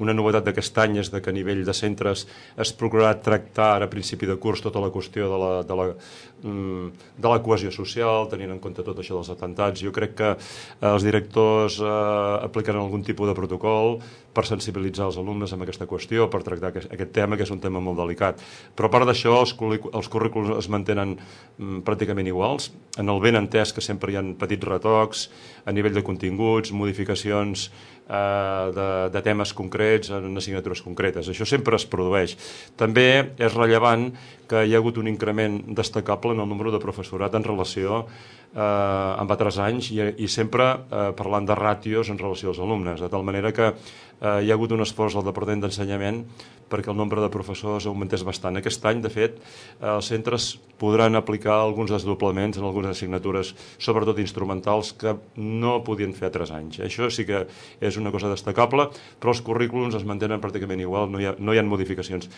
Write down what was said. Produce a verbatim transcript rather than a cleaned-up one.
una novetat d'aquest any és que a nivell de centres es procurarà tractar ara a principi de curs tota la qüestió de la, de la, de la cohesió social, tenint en compte tot això dels atentats. Jo crec que els directors eh, aplicaran algun tipus de protocol per sensibilitzar els alumnes amb aquesta qüestió, per tractar aquest, aquest tema, que és un tema molt delicat. Però a part d'això, els, els currículums es mantenen mm, pràcticament iguals, en el ben entès que sempre hi ha petits retocs a nivell de continguts, modificacions eh, de, de temes concrets en assignatures concretes. Això sempre es produeix. També és rellevant que hi ha hagut un increment destacable en el número de professorat en relació eh, amb altres anys i, i sempre eh, parlant de ràtios en relació als alumnes, de tal manera que eh, hi ha hagut un esforç al Departament d'Ensenyament perquè el nombre de professors augmentés bastant. Aquest any, de fet, eh, els centres podran aplicar alguns desdoblaments en algunes assignatures, sobretot instrumentals, que no podien fer altres anys. Això sí que és una cosa destacable, però els currículums es mantenen pràcticament igual, no hi ha, no hi ha modificacions.